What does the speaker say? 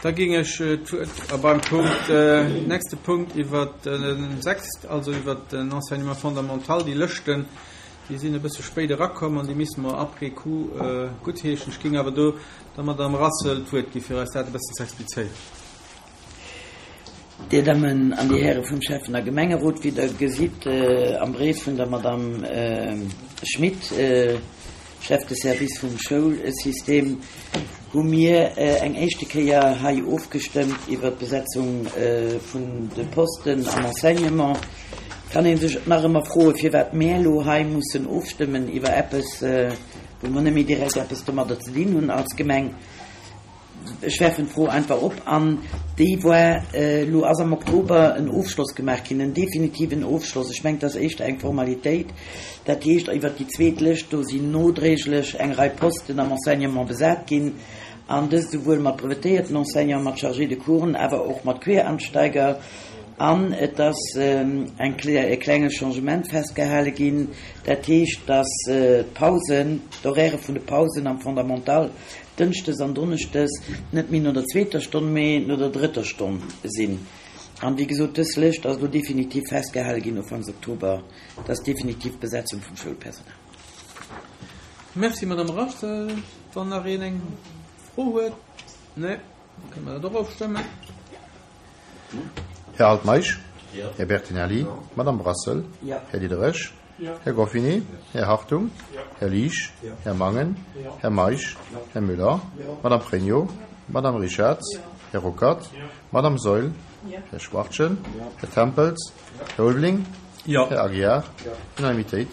Da géing ech d'Wuert beim Punkt, nächste Punkt iwwert den 6, also iwwert den Enseignement fondamental, déi Lëschten, déi sinn e bësse spéit erakomm an déi misse mer après coup guttheeschen. Ech géing awer do der Madame Rassel d'Wuert gi fir eis dat e bëssen ze explizéieren. Dir Dammen an Dir Häre vum Schäffen a Gemengerot, wéi Der gesitt am Bréif vun der Madame Schmit, Chef de service vum Schoulsystem, hu mir eng éischte Kéier hei ofgestëmmt iwwert d'Besetzung vun de Posten am Enseignement. Kann ee sech nach ëmmer froen, firwat mär elo hei mussen ofstëmmen iwwer eppes, wou mer net méi direkt eppes domadder ze dinn hunn als Gemeng. Ech werfen d'Fro einfach op. An déi war, elo ass am Oktober en Ofschloss gemaach ginn, en definitiven Ofschloss. Ech mengen, et ass éischter eng Formalitéit. Dat heescht, iwwert déi zweet Lëscht, do sinn nodréiglech eng Rei Posten am Enseignement besat ginn, an dëst esouwuel mat brevetéierten Enseignanten, mat Chargés de coursen, awer och mat Quereinsteiger. An et ass eng e klenge Changement festgehale ginn. Dat heescht, dass d'Pausen, d'Horairë vun de Pausen am Fondamental Dënschdes an Donneschdes net méi no der zweeter Stonn, mee no der drëtter Stonn sinn. An wéi gesot, dës Lëscht ass elo definitiv festgehale ginn ufanks Oktober. Dat ass d'definitiv Besetzung vum Schoulpersonal. Merci, Madame Rassel. Wann nach een eng Fro huet? Nee, da kënne mer dat och ofstëmmen. Här Altmeisch, Här Bertinelli, Madame Brassel, Här Diderich, Här Goffini, Här Hartung, Här Liesch, Här Mangen, Här Meisch, Här Müller, Madame Pregno, Madame Richarz, Här Ruckert, Madame Saeul, Här Schwachtgen, Här Tempels, Här Ulveling, Här Aguiar, Unanimitéit.